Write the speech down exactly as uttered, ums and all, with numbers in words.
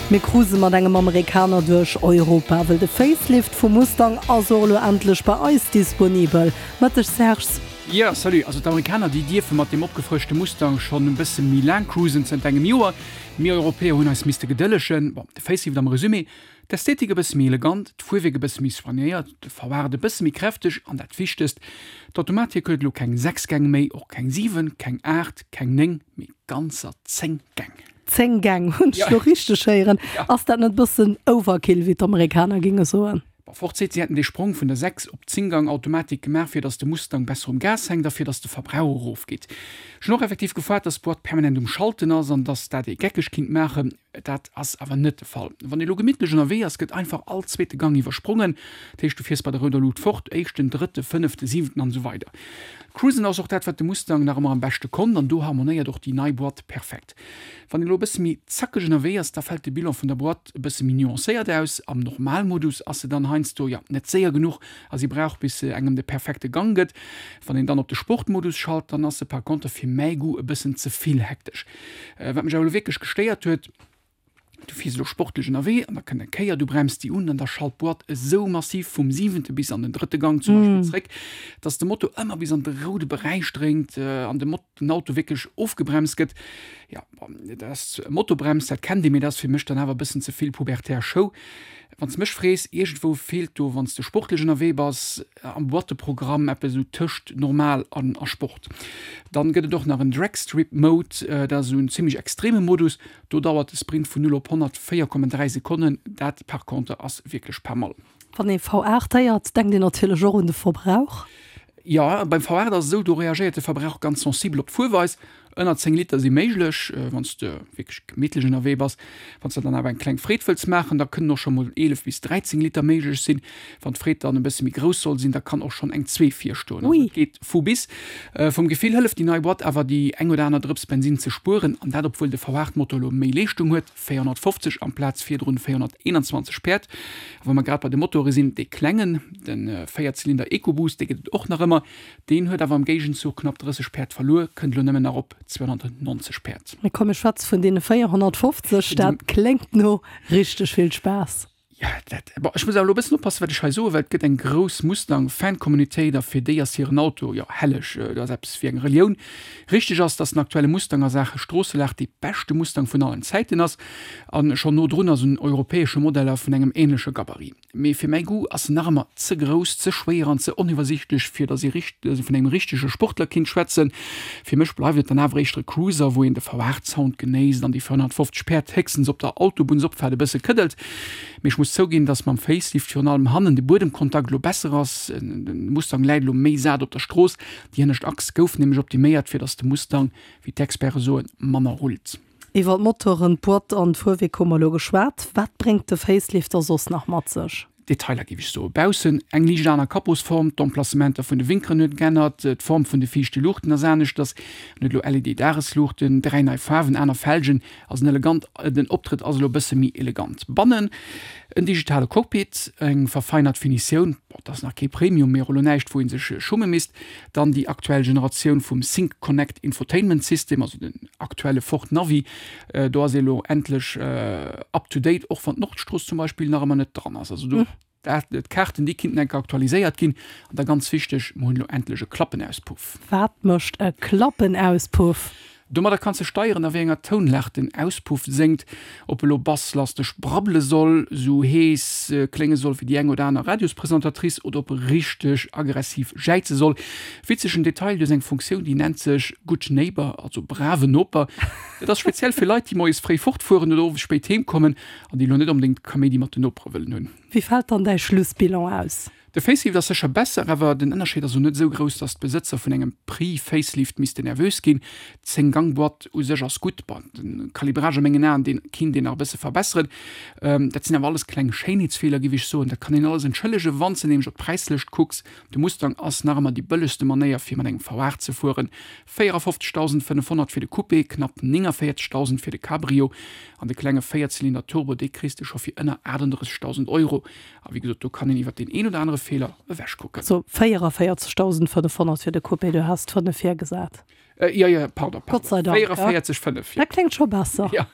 Mir cruise mat engem Amerikaner duerch Europa, well de Facelift vum Mustang ass och elo endlech bei eis disponibel. Mëtteg Serge. Jo, salut. Also d'Amerikaner, déi dierfe mat deem opgefrëschte Mustang schonn e bësse méi laang cruisen, zënter engem Joer. Mir Europäer hunn eis misste gedëllegen. Bon, de Facelift am Resumé, D'Ästhetik e bësse méi elegant, d'Fuerwierk e bësse méi soignéiert, de V aacht e bësse méi kräfteg an dat Wichtegst, d'Automatik huet elo keng sechs Gäng méi, och keng siwen, keng aacht, keng néng, mee ganzer zéng Gäng. Zéng Gäng, hunn ech lo richteg héieren? Ass dat net bëssen Overkill, wéi d'Amerikaner géinge soen? Bon, Ford seet, si hätten dee Sprong vun der sechs op zéng-Gang-Automatik gemaach, fir datt de Mustang besser um Gas hänkt a fir datt de Verbrauch erofgeet. Ech hunn och effektiv gefaart, datt d'Boîte permanent um Schalten ass an datt dat ee geckeg kinnt maachen. Dat ass awer net de Fall. Wann ee lo gemittlech ënnerwee ass, gëtt einfach all zweete Gang iwwersprongen. Dat heescht, du fiers bei der rouder Lut fort, éischten, drëtte, fënnefte, siwenten an esou weider. Cruisen ass och dat, wat de Mustang nach ëmmer am beschte konnt an do harmonéiert och déi nei Boîte perfekt. Wann een elo e bësse méi zackeg ënnerwee ass, da fält de Bilan vun der Boîte e bësse méi nuancéiert aus. Am Normalmodus ass se dann heiansdo, jo, net séier genuch a si brauch bis se engem de perfekte Gang gëtt. Wann een dann op de Sportmodus schalt, dann ass se par contre fir mäi Goût e bëssen ze vill hektesch. Wat mech awer elo wierklech gestéiert huet, Du fiers elo sportlech ënnerwee an da kënnt eng Kéier, du brems déi un an da schallt d'Boîte esou massiv vum siwente bis an den drëtte Gang zum Beispill zréck, dass de Moto ëmmer bis an de roude Beräich dréngt an de den Auto wierklech ofgebremst gëtt. Jo, bon, dat ass Motobrems, dat kennt ee, mee dat ass fir mech dann awer e bëssen ze vill pubertär Show. Wann s de mech frees, iergendwou feelt do, wann s de sportlech ënnerwee bass, am Boîteprogramm eppes esou tëscht normal an a Sport. Dann gëtt et och nach en Dragstrip Mode, dat ass esou en zimmlech extreme Modus, do dauert de Sprint vun null op honnert véier Komma dräi Sekonnen, dat par contre ass wierklech pas mal. Wann ee V aacht héiert, denkt een natierlech och un de Verbrauch. Jo, beim V aacht ass et esou, do reagéiert de Verbrauch ganz sensibel op d'Fuerweis. Ënner zéng Liter si méiglech, wann s de wierklech gemittlech ënnerwee bass. Wann s de dann awer eng kleng Freed wëlls maachen, da kënnen och scho mol eelef bis dräizéng Liter méiglech sinn. Wann d'Freed dann e bësse méi grouss soll sinn, da kann och schonn eng zwee virstoen. Also et geet vu bis. Vum Gefill hëlleft déi nei Boîte awer, déi eng oder aner Drëps Bensinn ze spueren, an dat obwuel de V aacht Motor elo méi Leeschtung huet, véierhonnertfofzeg amplaz virdrun véierhonnerteenanzwanzeg Päerd. A wa mer grad bei de Motore sinn, dee klengen, de Véierzylinder EcoBoost, dee gëtt et och nach ëmmer. Deen huet awer am Géigenzuch knapp drësseg Päerd verluer, kënnt elo nëmmen nach op zweehonnertnonzeg Päerd. Mee komm, mir schwätze vun deene véierhonnertfofzeg, dat kléngt no richteg vill Spaass. Jo, dat, bon, ech muss awer elo e bëssen oppassen, wat ech hei soen, well et gëtt eng grouss Mustang-Fan-Communautéit a fir déi ass hiren Auto, jo, helleg, dat ass eppes wéi eng Relioun. Richteg ass, dass den aktuelle Mustang a Saache Stroosselag dee beschte Mustang vun allen Zäiten ass a schonn no drun ass un europäesche Modeller vun engem änleche Gabarit. Mee fir mäi Goût ass en nach ëmmer ze grouss, ze schwéier an ze oniwwersiichtlech, fir datt ee vun engem richtege Sportler kinnt schwätzen. Fir mech bleift et dann awer éischter e Cruiser, wou een de V aacht Sound genéisst an déi véierhonnertfofzeg Päerd héchstens op der Autobunnsopfaart e bësse këddelt. Mee ech muss zouginn, datt mam Facelift virun allem hannen de Buedemkontakt elo besser ass. De Mustang läit elo méi sat op der Strooss. Déi hënnescht Achs gouf nämlech optiméiert, fir datt de Mustang, wéi d'Experte soen, manner rullt. Iwwer d'Motoren, d'Boîte an d'Fuerwierk hu mer elo geschwat. Wat bréngt de Facelift da soss nach mat sech? Detailer, géif ech soen. Baussen eng liicht aner Kapposform, d'Emplacementer vun de Winkeren huet geännert, d'Form vun de viischte Luuchten ass aneschters, en huet elo L E D-Dagesluuchten, dräi nei Faarwen, aner Felgen, ass en elegant, den Optrëtt ass elo e bësse méi elegant. Bannen en digitale Cockpit, eng verfeinert Finitioun, bon, dat ass nach kee Premium, mee och elo näischt wou ee sech schumme misst. Dann déi aktuell Generatioun vum Sync Connect Infotainment System, also den aktuelle Ford Navi. Do ass ee lo endlech up to date, och wann d'Nordstrooss zum Beispill nach ëmmer net dran ass. Also do, dat, d'Kaarten, déi kinnten enke aktualiséiert ginn. An da ganz wichteg, mer hunn elo endlech e Klappenauspuff. Wat mécht e Klappenauspuff? Domadder kanns de steieren, a wéi enger Tounlag den Auspuff séngt, ob e lo basslasteg brabbele soll, sou hees klénge soll wéi déi eng oder aner Radiospresentatrice oder ob e richteg aggressiv jäize soll. Witzegen Detail, du hues eng Funktioun, déi nennt sech Good Neighbor, also brave Noper. Dat ass speziell fir Leit, déi moies fréi fortfueren oder owes spéit heem kommen an déi lo net onbedéngt Kaméidi mat den Nopere wëllen hunn. Wéi fält dann däi Schlussbilan aus? De Facelift ass sécher besser, awer den Ënnerscheed ass elo net esou grouss, dass d'Besëtzer vun engem Pre-Facelift missten nervös ginn. D'Zéng-Gang-Boîte u sech ass gutt, bon, de Calibrage a mengen Aen, dee kinnt een nach e bësse verbesseren. Dat sinn awer alles kleng Schéinheetsfeeler, géif ech soen. Dat kann een alles entschëllegen, wann s de nämlech op d'Präislëscht kucks. De Mustang ass nach ëmmer déi bëllegste Manéier, fir mat engem V aacht ze fueren, véierafofzegdausendfënnefhonnert fir de Coupé, knapp néngavéierzegdausend fir de Cabrio an de klenge Véierzylinder-Turbo, dee kriss de scho fir ënner achtundrëssegdausend Euro. A wéi gesot, do kann een iwwer deen een oder anere Feeler ewechkucken. So véieraféierzegdausendfënnefhonnert fir de Coupé, du has d'Fënnef virgesat. Jo, jo, pardon, pardon. Gott sei Dank. Véieraféierzeg fënnef, jo. Dat kléngt scho besser. Jo.